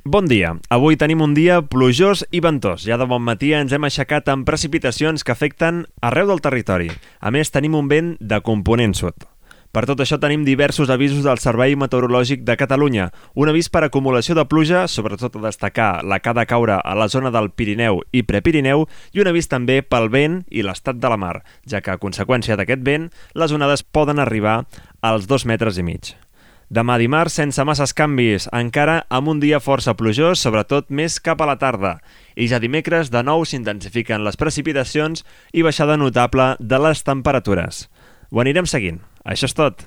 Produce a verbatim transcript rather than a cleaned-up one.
Bon dia. Avui tenim un dia plujós i ventós. Ja de bon matí ens hem aixecat amb precipitacions que afecten arreu del territori. A més, tenim un vent de component sud. Per tot això tenim diversos avisos del Servei Meteorològic de Catalunya. Un avís per acumulació de pluja, sobretot a destacar la que ha de caure a la zona del Pirineu i Prepirineu, i un avís també pel vent i l'estat de la mar, ja que a conseqüència d'aquest vent, les onades poden arribar als dos metres i mig. Demà dimarts, sense masses canvis, encara amb un dia força plujós, sobretot més cap a la tarda. I ja dimecres, de nou s'intensifiquen les precipitacions i baixada notable de les temperatures. Ho anirem seguint. Això és tot.